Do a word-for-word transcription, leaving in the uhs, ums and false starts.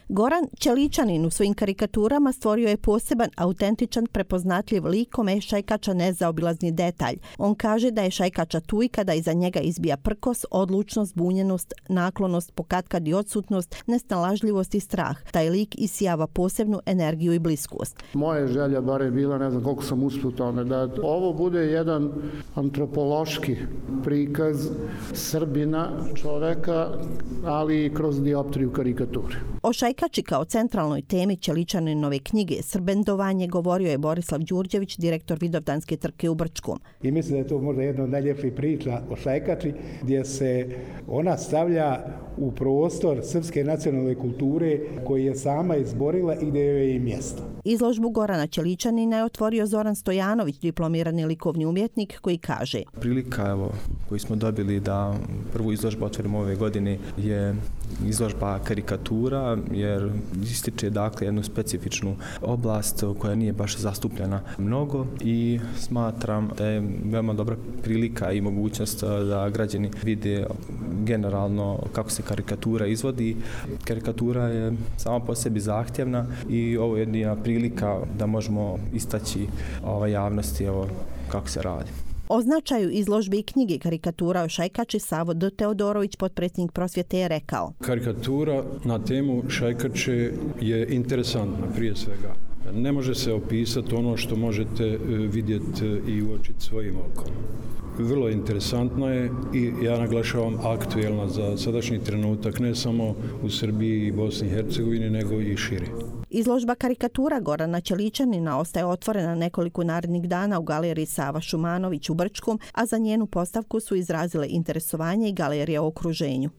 Goran Ćeličanin u svojim karikaturama stvorio je poseban, autentičan, prepoznatljiv lik kome je šajkača nezaobilazni detalj. On kaže da je šajkača tu i kada iza njega izbija prkos, odlučnost, bunjenost, naklonost, pokatkad i odsutnost, nesnalažljivost i strah. Taj lik isijava posebnu energiju i bliskost. Moja želja bar je bila, ne znam koliko sam uspio tome, da ovo bude jedan antropološki prikaz Srbina, čoveka, ali i kroz dioptriju karikature. O šajkači kao centralnoj temi Ćeličaninove knjige Srbendovanje govorio je Borislav Đurđević, direktor Vidovdanske trke u Brčkom. I mislim da je to možda jedna od najljepših priča o šajkači, gdje se ona stavlja u prostor srpske nacionalne kulture koji je sama izborila i gdje joj je mjesto. Izložbu Gorana Ćeličanina je otvorio Zoran Stojanović, diplomirani likovni umjetnik, koji kaže: Prilika evo, koju smo dobili da prvu izložbu otvorimo ove godine je izložba karikatura, jer ističe dakle jednu specifičnu oblast koja nije baš zastupljena mnogo i smatram da je veoma dobra prilika i mogućnost da građani vide generalno kako se karikatura izvodi. Karikatura je sama po sebi zahtjevna i ovo je jedna prilika da možemo istaći ovaj javnosti evo, kako se radi. O značaju izložbe i knjige karikatura o šajkači Savo D. Teodorović, potpredsjednik prosvjete, je rekao: Karikatura na temu šajkače je interesantna prije svega. Ne može se opisati ono što možete vidjeti i uočiti svojim okom. Vrlo interesantna je i ja naglašavam aktuelna za sadašnji trenutak, ne samo u Srbiji i Bosni i Hercegovini, nego i šire. Izložba karikatura Gorana Ćeličanina ostaje otvorena nekoliko narednih dana u galeriji Sava Šumanović u Brčkom, a za njenu postavku su izrazile interesovanje i galerije u okruženju.